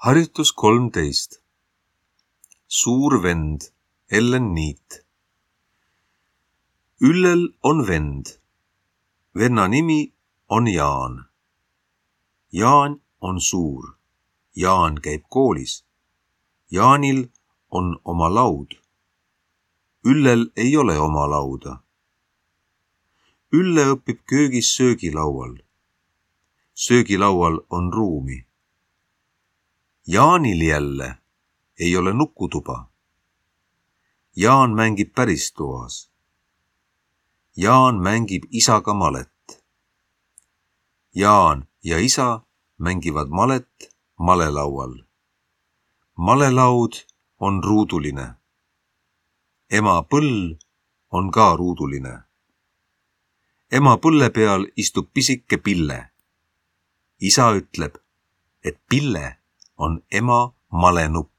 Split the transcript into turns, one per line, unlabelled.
Harjutus 13. Suur vend, Ellen Niit. Üllel on vend. Venna nimi on Jaan. Jaan on suur. Jaan käib koolis. Jaanil on oma laud. Üllel ei ole oma lauda. Ülle õpib köögis söögilaual. Söögilaual on ruumi. Jaanil jälle ei ole nukutuba. Jaan mängib päris toas. Jaan mängib isaga malet. Jaan ja isa mängivad malet malelaual. Malelaud on ruuduline. Ema põll on ka ruuduline. Ema põlle peal istub pisike Pille. Isa ütleb, et Pille on ema malenupp.